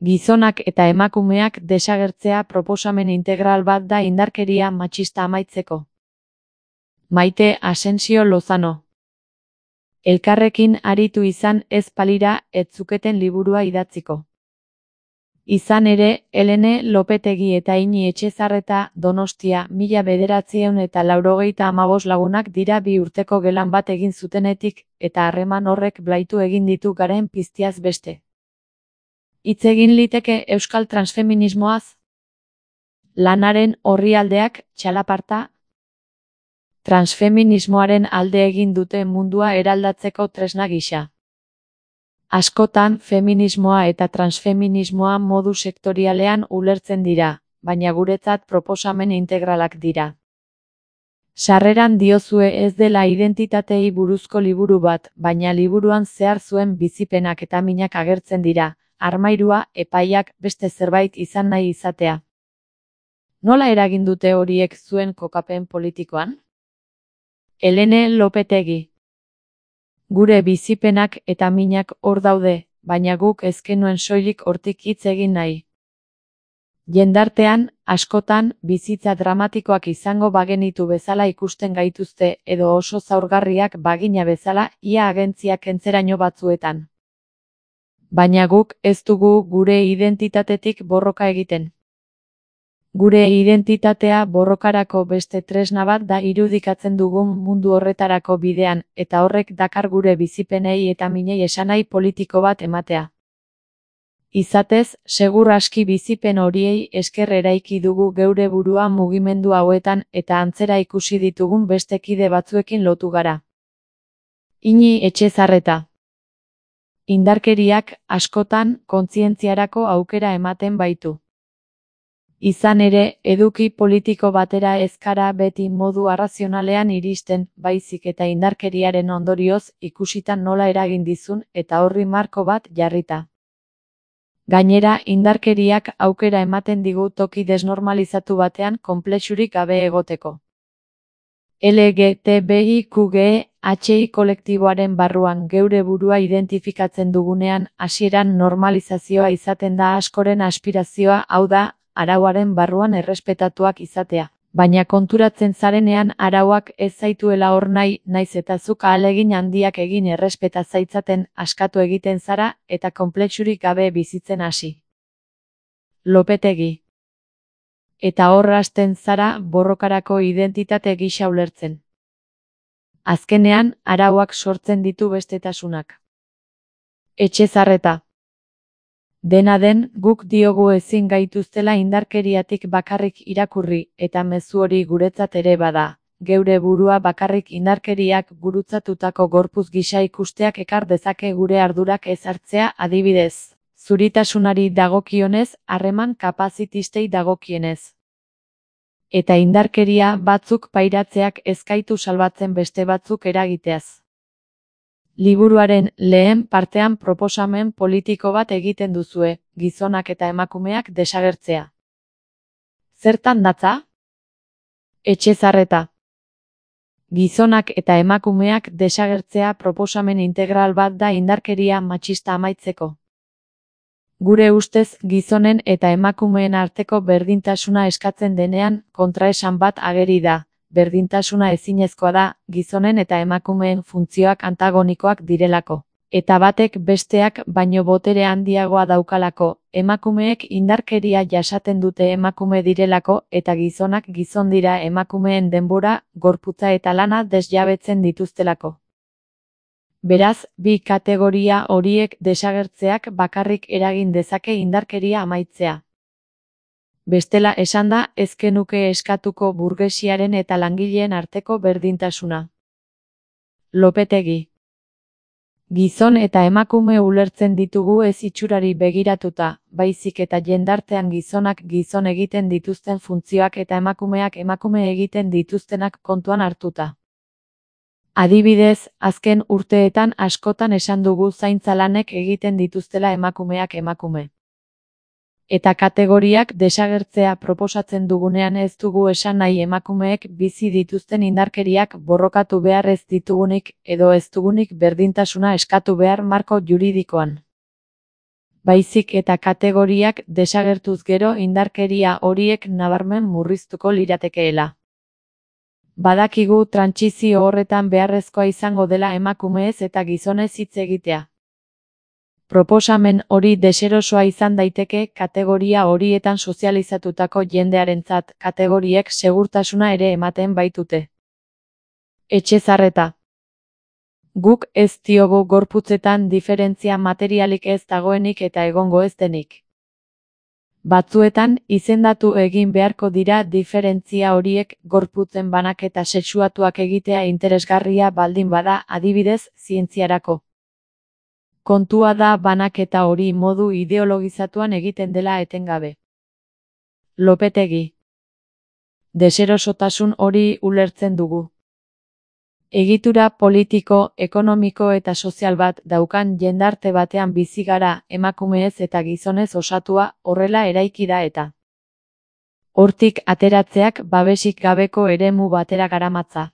Gizonak eta emakumeak desagertzea proposamen integral bat da indarkeria matxista amaitzeko. Maite Asensio Lozano. Elkarrekin aritu izan ez balira ez zuketen liburua idatziko. Izan ere, Helene Lopetegi eta Ini Etxezarreta Donostia 1985 lagunak dira 2 urteko gelan bat egin zutenetik, eta harreman horrek blaitu egin ditu garen piztiaz beste. Hitz egin liteke euskal transfeminismoaz? Lanaren orrialdeak txalaparta? Transfeminismoaren alde egin dute mundua eraldatzeko tresna gisa. Askotan feminismoa eta transfeminismoa modu sektorialean ulertzen dira, baina guretzat proposamen integralak dira. Sarreran diozue ez dela identitateei buruzko liburu bat, baina liburuan zehar zuen bizipenak eta minak agertzen dira, armairua, epaiak, beste zerbait izan nahi izatea. Nola eragin dute horiek zuen kokapen politikoan? Helene Lopetegi. Gure bizipenak eta minak hor daude, baina guk ez genuen soilik hortik hitz egin nahi. Jendartean, askotan, bizitza dramatikoak izango bagenitu bezala ikusten gaituzte edo oso zaurgarriak bagina bezala ia agentziak kentzeraino batzuetan. Baina guk ez dugu gure identitatetik borroka egiten. Gure identitatea borrokarako beste tresna bat da irudikatzen dugun mundu horretarako bidean, eta horrek dakar gure bizipenei eta minei esanahi politiko bat ematea. Izatez, segur aski bizipen horiei esker eraiki dugu geure burua mugimendu hauetan eta antzera ikusi ditugun beste kide batzuekin lotu gara. Ini Etxezarreta. Indarkeriak, askotan, kontzientziarako aukera ematen baitu. Izan ere, eduki politiko batera ez gara beti modu arrazionalean iristen, baizik eta indarkeriaren ondorioz ikusitan nola eragin dizun eta horri marko bat jarrita. Gainera, indarkeriak aukera ematen digu toki desnormalizatu batean konplexurik gabe egoteko. LGTBIQGHI kolektiboaren barruan geure burua identifikatzen dugunean, hasieran normalizazioa izaten da askoren aspirazioa, hau da, arauaren barruan errespetatuak izatea, baina konturatzen zarenean arauak ez zaituela hor nahi, naiz eta zuk ahalegin handiak egin errespeta zaitzaten askatu egiten zara eta konplexurik gabe bizitzen hasi. Lopetegi. Eta hor hasten zara borrokarako identitate gisa ulertzen. Azkenean, arauak sortzen ditu bestetasunak. Etxezarreta. Dena den, guk diogu ezin gaituztela indarkeriatik bakarrik irakurri, eta mezu hori guretzat ere bada. Geure burua bakarrik indarkeriak gurutzatutako gorpuz gisa ikusteak ekar dezake gure ardurak ez hartzea, adibidez. Zuritasunari dagokionez, harreman kapazitistei dagokienez. Eta indarkeria batzuk pairatzeak ez gaitu salbatzen beste batzuk eragiteaz. Liburuaren lehen partean proposamen politiko bat egiten duzue, gizonak eta emakumeak desagertzea. Zertan datza? Etxezarreta. Gizonak eta emakumeak desagertzea proposamen integral bat da indarkeria matxista amaitzeko. Gure ustez, gizonen eta emakumeen arteko berdintasuna eskatzen denean, kontraesan bat ageri da. Berdintasuna ezinezkoa da, gizonen eta emakumeen funtzioak antagonikoak direlako. Eta batek besteak baino botere handiagoa daukalako, emakumeek indarkeria jasaten dute emakume direlako, eta gizonak gizon dira emakumeen denbora, gorputza eta lana desjabetzen dituztelako. Beraz, bi kategoria horiek desagertzeak bakarrik eragin dezake indarkeria amaitzea. Bestela esanda, ez genuke eskatuko burgesiaren eta langileen arteko berdintasuna. Lopetegi. Gizon eta emakume ulertzen ditugu ez itxurari begiratuta, baizik eta jendartean gizonak gizon egiten dituzten funtzioak eta emakumeak emakume egiten dituztenak kontuan hartuta. Adibidez, azken urteetan askotan esan dugu zaintza lanek egiten dituztela emakumeak emakume. Eta kategoriak desagertzea proposatzen dugunean ez dugu esan nahi emakumeek bizi dituzten indarkeriak borrokatu behar ez ditugunik edo ez dugunik berdintasuna eskatu behar marko juridikoan. baizik eta kategoriak desagertuz gero indarkeria horiek nabarmen murriztuko liratekeela. Badakigu trantsizio horretan beharrezkoa izango dela emakumeez eta gizonez hitz egitea. Proposamen hori deserosoa izan daiteke kategoria horietan sozializatutako jendearentzat, kategoriek segurtasuna ere ematen baitute. Etxezarreta. Guk ez diogu gorputzetan diferentzia materialik ez dagoenik eta egongo ez denik. Batzuetan, izendatu egin beharko dira diferentzia horiek gorputzen banaketa sexuatuak egitea interesgarria baldin bada, adibidez, zientziarako. Kontua da banaketa hori modu ideologizatuan egiten dela etengabe. Lopetegi. Deserosotasun hori ulertzen dugu. Egitura politiko, ekonomiko eta sozial bat daukan jendarte batean bizi gara, emakumeez eta gizonez osatua, horrela eraiki da eta. Hortik ateratzeak babesik gabeko eremu batera garamatza.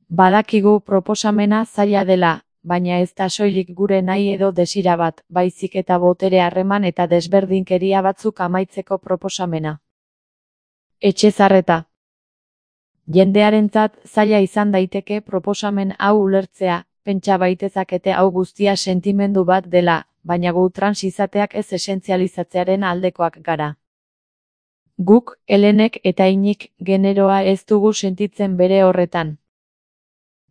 Badakigu proposamena zaila dela, baina ez da soilik gure nahi edo desira bat, baizik eta botere harreman eta desberdinkeria batzuk amaitzeko proposamena. Etxezarreta. Jendearentzat zaila izan daiteke proposamen hau ulertzea, pentsa baitezakete hau guztia sentimendu bat dela, baina gu trans izateak ez esentzializatzearen aldekoak gara. Guk, Helenek eta Iñik, generoa ez dugu sentitzen bere horretan.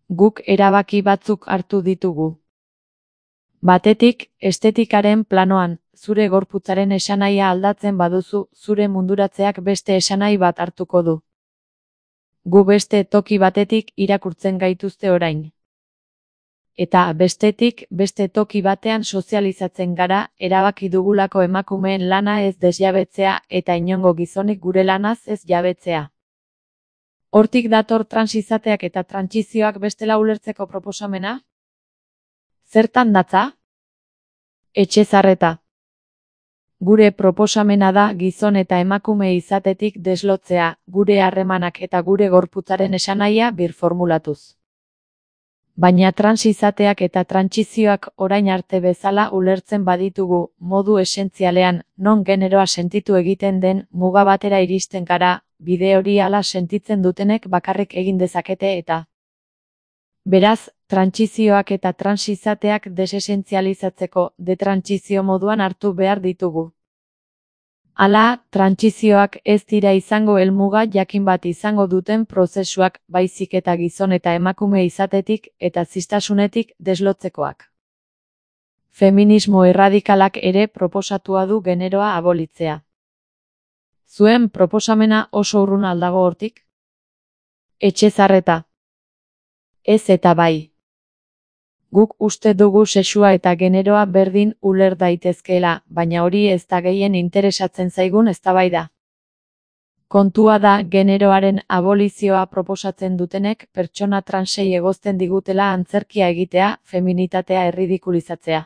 Guk erabaki batzuk hartu ditugu. Batetik, estetikaren planoan, zure gorputzaren esanahia aldatzen baduzu, zure munduratzeak beste esanahi bat hartuko du. Gu beste toki batetik irakurtzen gaituzte orain. Eta bestetik, beste toki batean sozializatzen gara, erabaki dugulako emakumeen lana ez desjabetzea eta inongo gizonik gure lanaz ez jabetzea. Hortik dator trans izateak eta trantsizioak bestela ulertzeko proposamena? Zertan datza? Etxezarreta. Gure proposamena da gizon eta emakume izatetik deslotzea, gure harremanak eta gure gorputzaren esanahia birformulatuz. Baina trans izateak eta trantsizioak orain arte bezala ulertzen baditugu, modu esentzialean, non generoa sentitu egiten den, muga batera iristen gara, bide hori hala sentitzen dutenek bakarrik egin dezakete eta. Beraz, trantsizioak eta trans izateak desesentzializatzeko, detrantsizio moduan hartu behar ditugu. Hala, trantsizioak ez dira izango helmuga jakin bat izango duten prozesuak, baizik eta gizon eta emakume izatetik eta ziztasunetik deslotzekoak. Feminismo erradikalak ere proposatua du generoa abolitzea. Zuen proposamena oso urrun aldago hortik? Etxezarreta. Ez eta bai. Guk uste dugu sexua eta generoa berdin uler daitezkeela, baina hori ez da gehien interesatzen zaigun eztabaida. Kontua da generoaren abolizioa proposatzen dutenek pertsona transei egozten digutela antzerkia egitea, feminitatea erridikulizatzea.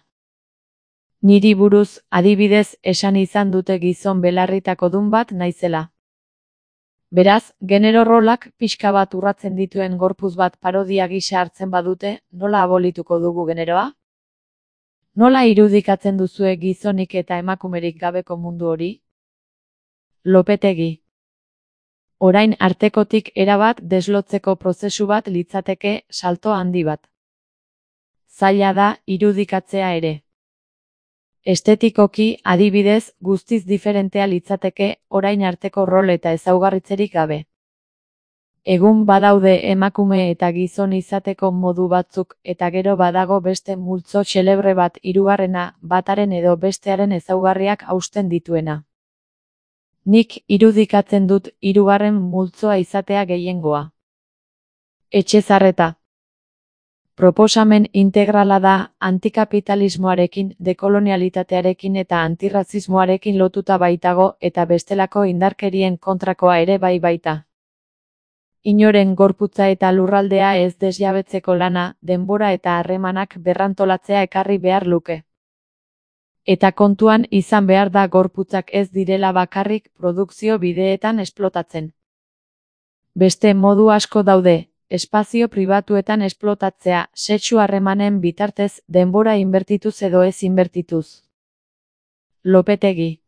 Niri buruz, adibidez, esan izan dute gizon belarritakodun bat naizela. Beraz, genero rolak pixka bat urratzen dituen gorputz bat parodia gisa hartzen badute, nola abolituko dugu generoa? Nola irudikatzen duzue gizonik eta emakumerik gabeko mundu hori? Lopetegi. Orain artekotik erabat deslotzeko prozesu bat litzateke salto handi bat. Zaila da irudikatzea ere. Estetikoki, adibidez, guztiz diferentea litzateke orain arteko rol eta ezaugarritzerik gabe. Egun badaude emakume eta gizon izateko modu batzuk eta gero badago beste multzo xelebre bat hirugarrena, bataren edo bestearen ezaugarriak hausten dituena. Nik irudikatzen dut hirugarren multzoa izatea gehiengoa. Etxezarreta. Proposamen integrala da antikapitalismoarekin, dekolonialitatearekin eta antirrazismoarekin lotuta baitago eta bestelako indarkerien kontrakoa ere bai baita. Inoren gorputza eta lurraldea ez desjabetzeko lana, denbora eta harremanak berrantolatzea ekarri behar luke. Eta kontuan izan behar da gorputzak ez direla bakarrik produkzio bideetan esplotatzen. Beste modu asko daude. Espazio pribatuetan esplotatzea, sexu harremanen bitartez, denbora inbertituz edo ez inbertituz. Lopetegi.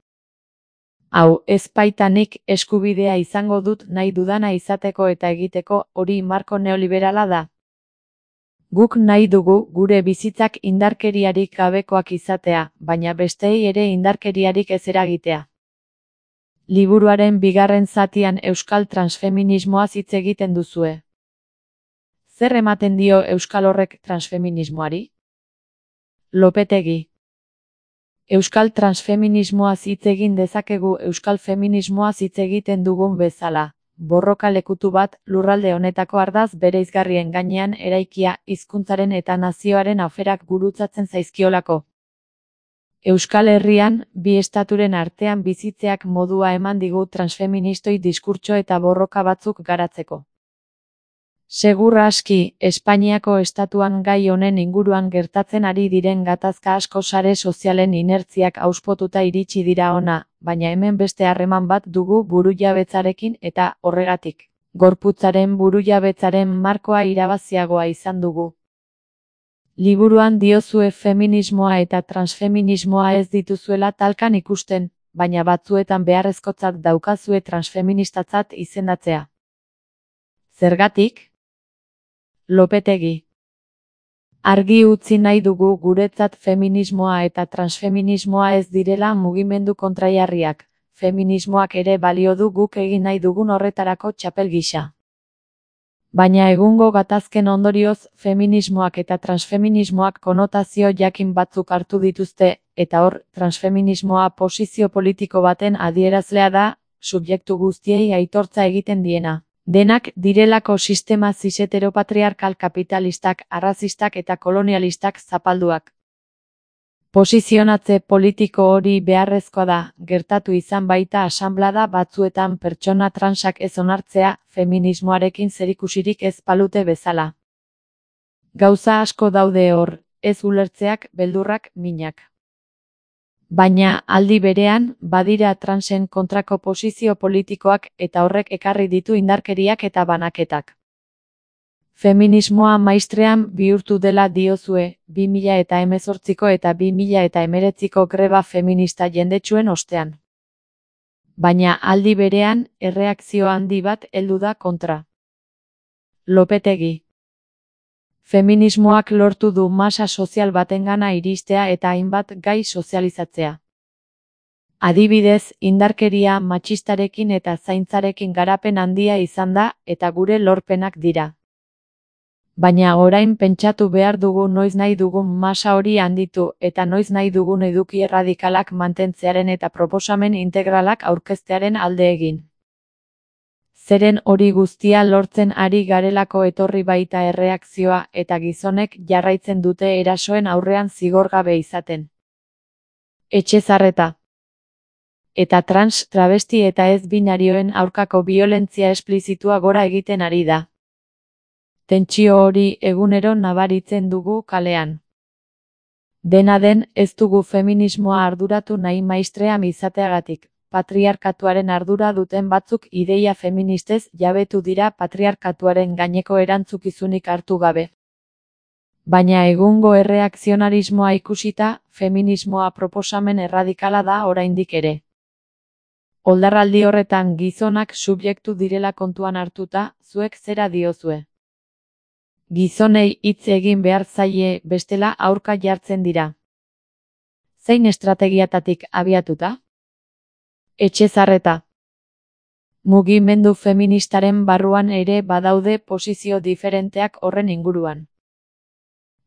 Hau, ez baita nik eskubidea izango dut nahi dudana izateko eta egiteko, hori marko neoliberala da. Guk nahi dugu gure bizitzak indarkeriarik gabekoak izatea, baina besteei ere indarkeriarik ez eragitea. Liburuaren bigarren zatian euskal transfeminismoaz hitz egiten duzue. Zer ematen dio euskal horrek transfeminismoari? Lopetegi. Euskal transfeminismoaz hitz egin dezakegu euskal feminismoaz hitz egiten dugun bezala. Borroka lekutu bat, lurralde honetako ardaz bereizgarrien gainean eraikia, hizkuntzaren eta nazioaren aferak gurutzatzen zaizkiolako. Euskal Herrian, bi estaturen artean bizitzeak modua eman digu transfeministoi diskurtso eta borroka batzuk garatzeko. Segur aski, Espainiako estatuan gai honen inguruan gertatzen ari diren gatazka asko sare sozialen inertziak auspotuta iritsi dira hona, baina hemen beste harreman bat dugu burujabetzarekin eta, horregatik, gorputzaren burujabetzaren markoa irabaziagoa izan dugu. Liburuan diozue feminismoa eta transfeminismoa ez dituzuela talkan ikusten, baina batzuetan beharrezkotzat daukazue transfeministatzat izendatzea. Zergatik? Lopetegi. Argi utzi nahi dugu guretzat feminismoa eta transfeminismoa ez direla mugimendu kontrajarriak, feminismoak ere balio du guk egin nahi dugun horretarako txapel gisa. Baina egungo gatazken ondorioz, feminismoak eta transfeminismoak konotazio jakin batzuk hartu dituzte, eta hor, transfeminismoa posizio politiko baten adierazlea da, subjektu guztiei aitortza egiten diena. Denak direlako sistema cis-heteropatriarkal kapitalistak, arrazistak eta kolonialistak zapalduak. Posizionatze politiko hori beharrezkoa da, gertatu izan baita asanblada batzuetan pertsona transak ez onartzea, feminismoarekin zerikusirik ez balute bezala. Gauza asko daude hor, ez ulertzeak, beldurrak, minak. Baina, aldi berean, badira transen kontrako posizio politikoak eta horrek ekarri ditu indarkeriak eta banaketak. Feminismoa maistrean bihurtu dela diozue, 2018ko eta 2019ko greba feminista jendetsuen ostean. Baina aldi berean, erreakzio handi bat heldu da kontra. Lopetegi. Feminismoak lortu du masa sozial batengana iristea eta hainbat gai sozializatzea. Adibidez, indarkeria matxistarekin eta zaintzarekin garapen handia izan da eta gure lorpenak dira. Baina orain pentsatu behar dugu noiz nahi dugun masa hori handitu eta noiz nahi dugun eduki erradikalak mantentzearen eta proposamen integralak aurkeztearen alde egin. Zeren hori guztia lortzen ari garelako etorri baita erreakzioa eta gizonek jarraitzen dute erasoen aurrean zigorgabe izaten. Etxezarreta. Eta trans, travesti eta ez binarioen aurkako biolentzia esplizitua gora egiten ari da. Tentsio hori egunero nabaritzen dugu kalean. Dena den, ez dugu feminismoa arduratu nahi maistream izateagatik. Patriarkatuaren ardura duten batzuk ideia feministez jabetu dira patriarkatuaren gaineko erantzukizunik hartu gabe. Baina egungo erreakzionarismoa ikusita, feminismoa proposamen erradikala da oraindik ere. Oldarraldi horretan gizonak subjektu direla kontuan hartuta, zuek zera diozue. Gizonei hitz egin behar zaie bestela aurka jartzen dira. Zein estrategiatatik abiatuta? Etxezarreta. Mugimendu feministaren barruan ere badaude posizio diferenteak horren inguruan.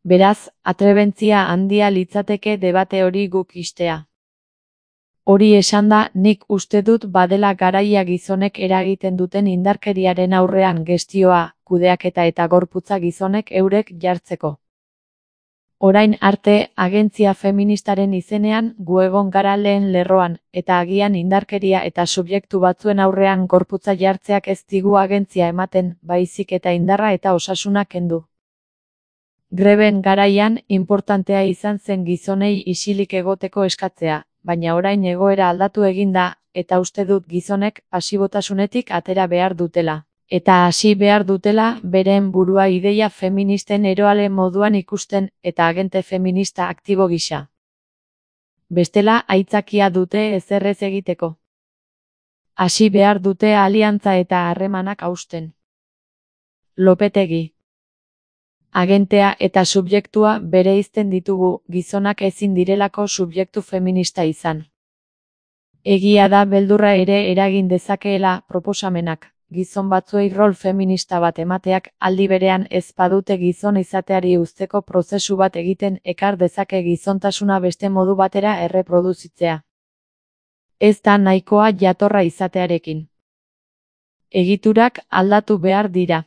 Beraz, atrebentzia handia litzateke debate hori guk istea. Hori esanda, nik uste dut badela garaia gizonek eragiten duten indarkeriaren aurrean gestioa, kudeaketa eta gorputza gizonek eurek jartzeko. Orain arte, agentzia feministaren izenean, gu egon gara lehen lerroan, eta agian indarkeria eta subjektu batzuen aurrean gorputza jartzeak ez digu agentzia ematen, baizik eta indarra eta osasuna kendu. Greben garaian, inportantea izan zen gizonei isilik egoteko eskatzea, baina orain egoera aldatu egin da, eta uste dut gizonek pasibotasunetik atera behar dutela. Eta hasi behar dutela beren burua ideia feministen eroale moduan ikusten eta agente feminista aktibo gisa. Bestela aitzakia dute ezer ez egiteko. Hasi behar dute aliantza eta harremanak hausten. Lopetegi. Agentea eta subjektua bereizten ditugu, gizonak ezin direlako subjektu feminista izan. Egia da beldurra ere eragin dezakeela proposamenak, gizon batzuei rol feminista bat emateak aldi berean ez badute gizon izateari uzteko prozesu bat egiten ekar dezake gizontasuna beste modu batera erreproduzitzea. Ez da nahikoa jatorra izatearekin. Egiturak aldatu behar dira.